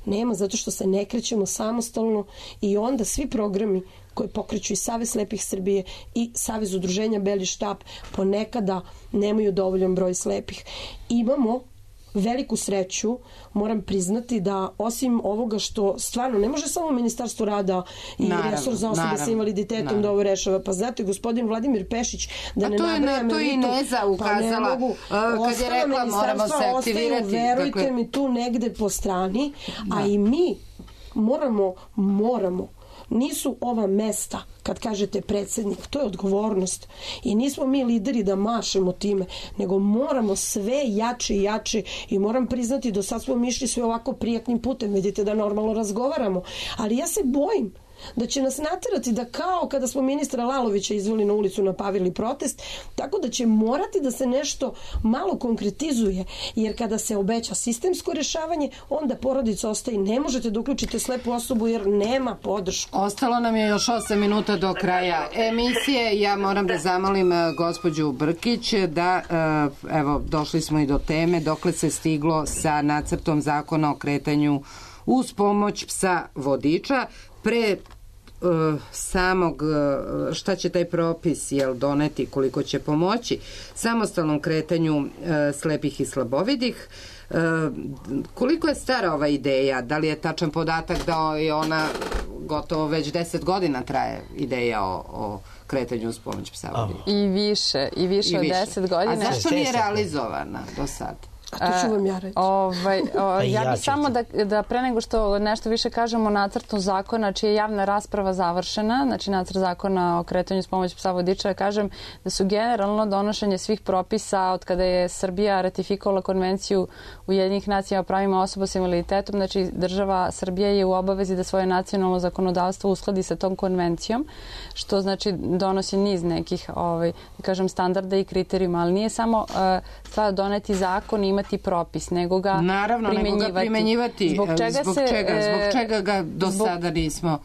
Nema, zato što se ne krećemo samostalno i onda svi programi koje pokreću i Savez slepih Srbije i Savez udruženja Beli štap ponekada nemaju dovoljan broj slepih. Imamo veliku sreću, moram priznati da osim ovoga što stvarno ne može samo Ministarstvo rada i resor za osobe sa invaliditetom da ovo rešava. Pa znate, gospodin Vladimir Pešić, da ne nabrajam to i Neza ukazala, kad je rekla moramo se aktivirati. Verujte mi, tu negde po strani, a i mi moramo. Nisu ova mesta, kad kažete predsjednik, to je odgovornost. I nismo mi lideri da mašemo time, nego moramo sve jače i jače i moram priznati, do sad smo mi išli sve ovako prijatnim putem, vidite da normalno razgovaramo. Ali ja se bojim da će nas naterati da kao kada smo ministra Lalovića izveli na ulicu, napavili protest, tako da će morati da se nešto malo konkretizuje, jer kada se obeća sistemsko rešavanje, onda porodica ostaje. Ne možete da uključite slepu osobu jer nema podršku. Ostalo nam je još 8 minuta do kraja emisije. Ja moram da zamolim gospođu Brkić da, evo, došli smo i do teme, dokle se stiglo sa nacrtom zakona o kretanju uz pomoć psa vodiča. Pre samog, šta će taj propis doneti, koliko će pomoći samostalnom kretanju slepih i slabovidih, koliko je stara ova ideja, da li je tačan podatak da je ona gotovo već 10 godina traje ideja o kretanju uz pomoć psa vodiča? I više od 10 godina. A zašto nije realizovana do sada? A to ću vam ja reći. Ja bih samo da pre nego što nešto više kažemo o nacrtu zakona čija je javna rasprava završena, znači nacrt zakona o kretanju s pomoć psa vodiča, ja kažem da su generalno donošenje svih propisa od kada je Srbija ratifikovala konvenciju Ujedinjenih nacija o pravima osoba s invaliditetom, znači država Srbija je u obavezi da svoje nacionalno zakonodavstvo uskladi sa tom konvencijom, što znači donosi niz nekih standarda i kriterijuma, ali nije samo stvar doneti zakon i imati propis, nego ga primenjivati. Zbog čega ga do sada nismo?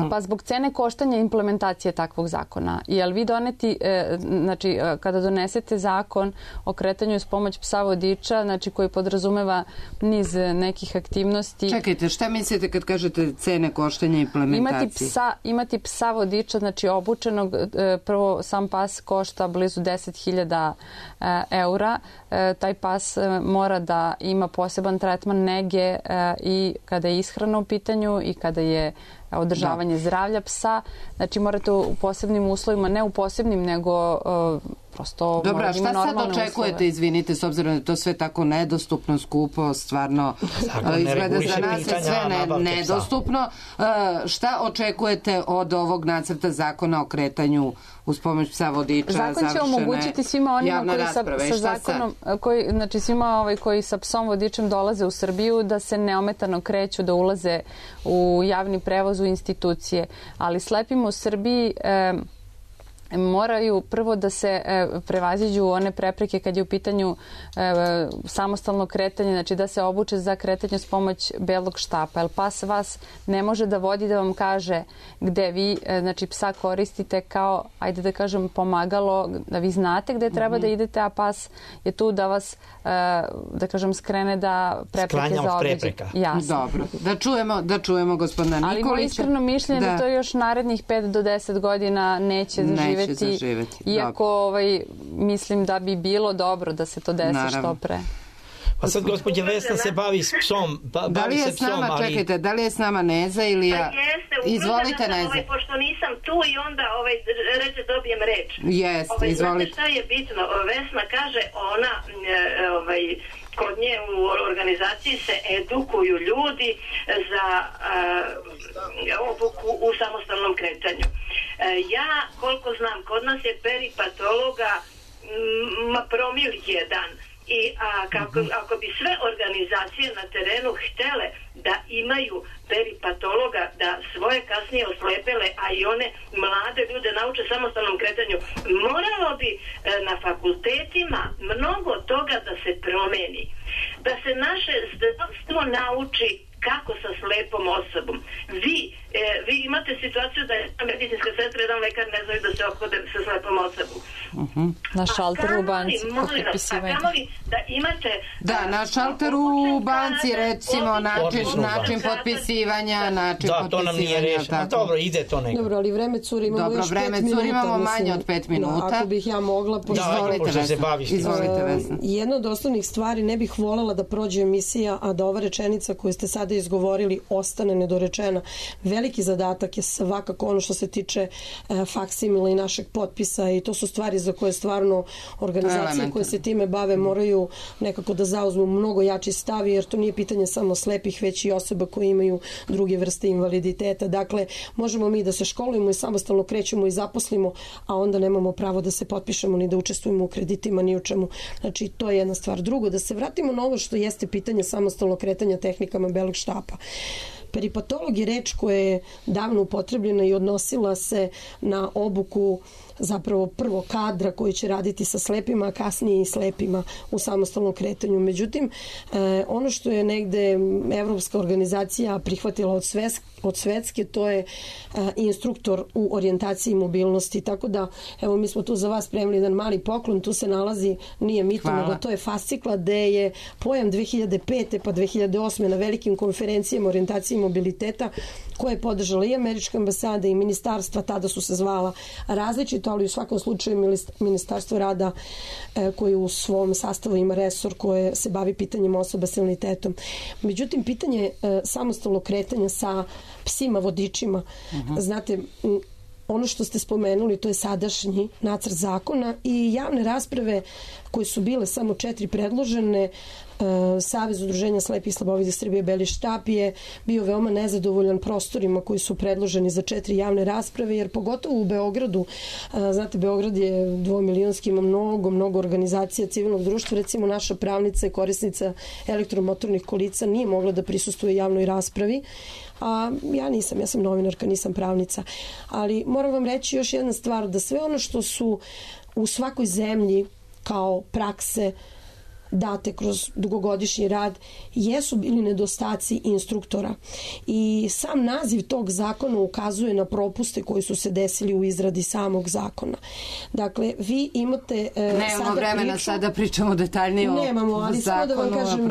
Pa zbog cene koštanja implementacije takvog zakona. Jel vi doneti, znači kada donesete zakon o kretanju s pomoć psa vodiča, znači koji podrazumeva niz nekih aktivnosti. Čekajte, šta mislite kad kažete cene koštanja implementacije? Imati psa vodiča, znači obučenog, prvo sam pas košta blizu 10.000 eura. Taj pas mora da ima poseban tretman nege i kada je ishrana u pitanju i kada je održavanje zdravlja psa. Znači morate u posebnim uslovima, ne u posebnim, nego prosto mora da ima normalne uslove. Dobro, šta sad očekujete, izvinite, s obzirom da je to sve tako nedostupno, skupo, stvarno izgleda za nas je sve nedostupno. Šta očekujete od ovog nacrta zakona o kretanju uz pomoć psa vodiča? Zakon će omogućiti svima onima koji sa zakonom, znači svima koji sa psom vodičem dolaze u Srbiju da se neometano kreću, da ulaze u javni prevoz, u institucije. Ali slepim u Srbiji moraju prvo da se prevaziđu one prepreke kad je u pitanju samostalno kretanje, znači da se obuče za kretanje s pomoć belog štapa. Jer pas vas ne može da vodi da vam kaže gde vi, znači psa koristite kao, ajde da kažem, pomagalo, da vi znate gde treba da idete, a pas je tu da vas, da kažem, skrene da prepreke zaobiđe. Dobro. Da čujemo gospodina Nikolića. Ali moje iskreno mišljenje da to još narednih 5 do 10 godina neće zaživeti. Iako mislim da bi bilo dobro da se to desi što pre. Pa sad gospođa Vesna se bavi s psom. Čekajte, da li je s nama Neza ili ja? Izvolite, Neza. Pošto nisam tu i onda reče dobijem reč. Jeste, izvolite. Šta je bitno? Vesna kaže, ona kod nje u organizaciji se edukuju ljudi za obuku u samostalnom kretanju. Ja, koliko znam, kod nas je peripatologa promil 1. I ako bi sve organizacije na terenu htele da imaju peripatologa, da svoje kasnije oslepele, a i one mlade ljude nauče samostalnom kretanju, moralo bi na fakultetima mnogo toga da se promeni. Da se naše zdravstvo nauči kako sa slepom osobom. Vi imate situaciju da je medicinska sestra, jedan lekar ne znaju da se ophode sa slepom osobom. Na šalteru u banci. Da imate... Da, na šalteru u banci, recimo, način potpisivanja, Da, to nam nije rešeno. Dobro, ide to nekako. Dobro, ali vreme curi, imamo još 5 minuta. Imamo manje od 5 minuta. Ako bih ja mogla... Izvolite, Vesna. Jedna od osnovnih stvari, ne bih voljela da prođe emisija, a da ova rečenica koju ste sada izgovorili ostane nedorečena. Veliki zadatak je svakako ono što se tiče faksimila i našeg potpisa i to su stvari za koje stvarno organizacije koje se time bave moraju nekako da zauzmu mnogo jači stav, jer to nije pitanje samo slepih, već i osoba koje imaju druge vrste invaliditeta. Dakle, možemo mi da se školujemo i samostalno krećemo i zaposlimo, a onda nemamo pravo da se potpišemo ni da učestvujemo u kreditima, ni u čemu. Znači, to je jedna stvar. Drugo, da se vratimo na ovo što jeste pitanje samostalnog kretanja tehnikama belog štapa. Peripatolog je reč koja je davno upotrebljena i odnosila se na obuku zapravo prvo kadra koji će raditi sa slepima, a kasnije i slepima u samostalnom kretanju. Međutim, ono što je negde evropska organizacija prihvatila od svetske, to je instruktor u orijentaciji i mobilnosti. Tako da, evo, mi smo tu za vas spremili jedan mali poklon, tu se nalazi, nije mito, nego to je fascikla gde je pojam 2005. pa 2008. na velikim konferencijama orijentacije i mobiliteta koje je podržala i Američka ambasada i ministarstva, tada su se zvala različito, ali u svakom slučaju Ministarstvo rada koje u svom sastavu ima resor koje se bavi pitanjem osoba s invaliditetom. Međutim, pitanje samostalnog kretanja sa psima vodičima, znate, ono što ste spomenuli, to je sadašnji nacrt zakona i javne rasprave koje su bile samo 4 predložene. Savez udruženja slepih i slabovidih Srbije Beli štap je bio veoma nezadovoljan prostorima koji su predloženi za 4 javne rasprave, jer pogotovo u Beogradu, znate, Beograd je 2-milionski, ima mnogo organizacija civilnog društva, recimo naša pravnica i korisnica elektromotornih kolica nije mogla da prisustuje javnoj raspravi, a ja sam novinarka, nisam pravnica, ali moram vam reći još jedna stvar, da sve ono što su u svakoj zemlji kao prakse date kroz dugogodišnji rad jesu bili nedostaci instruktora i sam naziv tog zakona ukazuje na propuste koji su se desili u izradi samog zakona. Dakle, vi imate nemamo vremena sada pričamo detaljnije o nemamo, ali samo da vam kažem,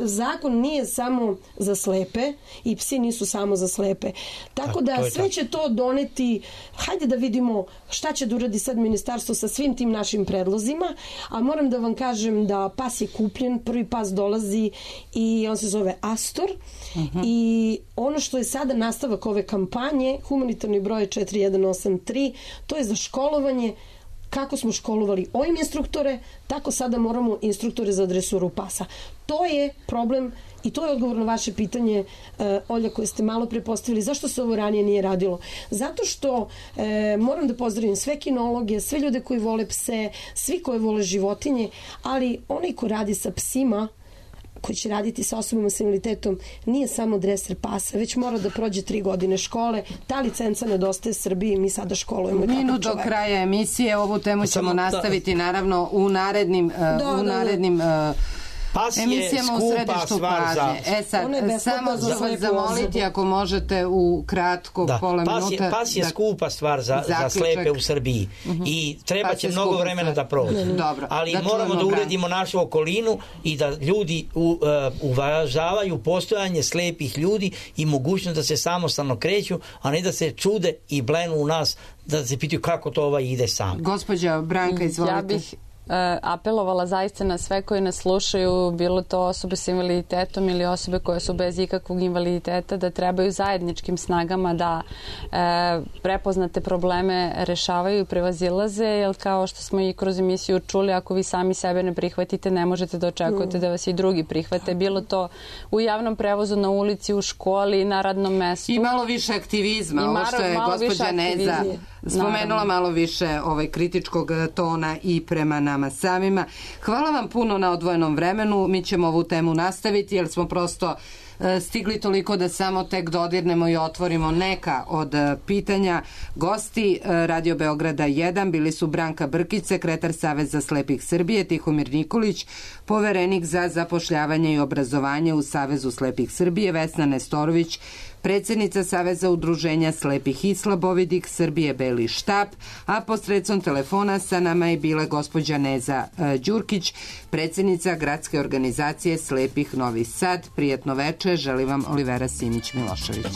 zakon nije samo za slepe i psi nisu samo za slepe. Tako da sve će to doneti, hajde da vidimo šta će da uradi sad ministarstvo sa svim tim našim predlozima, a moram da vam kažem da pas je kupljen, prvi pas dolazi i on se zove Astor i ono što je sada nastavak ove kampanje, humanitarni broj 4183, to je za školovanje. Kako smo školovali ovim instruktore, tako sada moramo instruktore za dresuru pasa. To je problem i to je odgovor na vaše pitanje, Olja, koje ste malo pre postavili. Zašto se ovo ranije nije radilo? Zato što moram da pozdravim sve kinologe, sve ljude koji vole pse, svi koji vole životinje, ali onaj ko radi sa psima, koji će raditi sa osobama s invaliditetom, nije samo dreser pasa, već mora da prođe 3 godine škole. Ta licenca nedostaje Srbiji, mi sada školujemo. Minut do kraja emisije, ovu temu ćemo nastaviti naravno u narednim emisijama u središtu pažnje. Samo ću vas zamoliti ako možete u kratko pola minuta. Pas je skupa stvar za slepe u Srbiji i treba će mnogo vremena da prođe. Ali moramo da uredimo našu okolinu i da ljudi uvažavaju postojanje slepih ljudi i mogućnost da se samostalno kreću, a ne da se čude i blenu u nas, da se pitaju kako to ide sam. Gospođa Branka, izvolite. Ja bih apelovala zaista na sve koji nas slušaju, bilo to osobe s invaliditetom ili osobe koje su bez ikakvog invaliditeta, da trebaju zajedničkim snagama da prepoznate probleme rešavaju i prevazilaze, jer kao što smo i kroz emisiju čuli, ako vi sami sebe ne prihvatite, ne možete da očekujete da vas i drugi prihvate. Bilo to u javnom prevozu, na ulici, u školi, na radnom mestu. I malo više aktivizma, ovo što je gospođa Neza spomenula, malo više kritičkog tona i prema nama. nama samima. Hvala vam puno na odvojenom vremenu. Mi ćemo ovu temu nastaviti jer smo prosto stigli toliko da samo tek dodirnemo i otvorimo neka od pitanja. Gosti Radio Beograda 1 bili su Branka Brkić, sekretar Saveza slepih Srbije, Tihomir Nikolić, poverenik za zapošljavanje i obrazovanje u Savezu slepih Srbije, Vesna Nestorović, predsjednica Saveza udruženja slepih i slabovidih Srbije Beli štab, a posredstvom telefona sa nama je bila gospođa Neza Đurkić, predsjednica gradske organizacije slepih Novi Sad. Prijetno veče, želim vam Olivera Simić Milošević.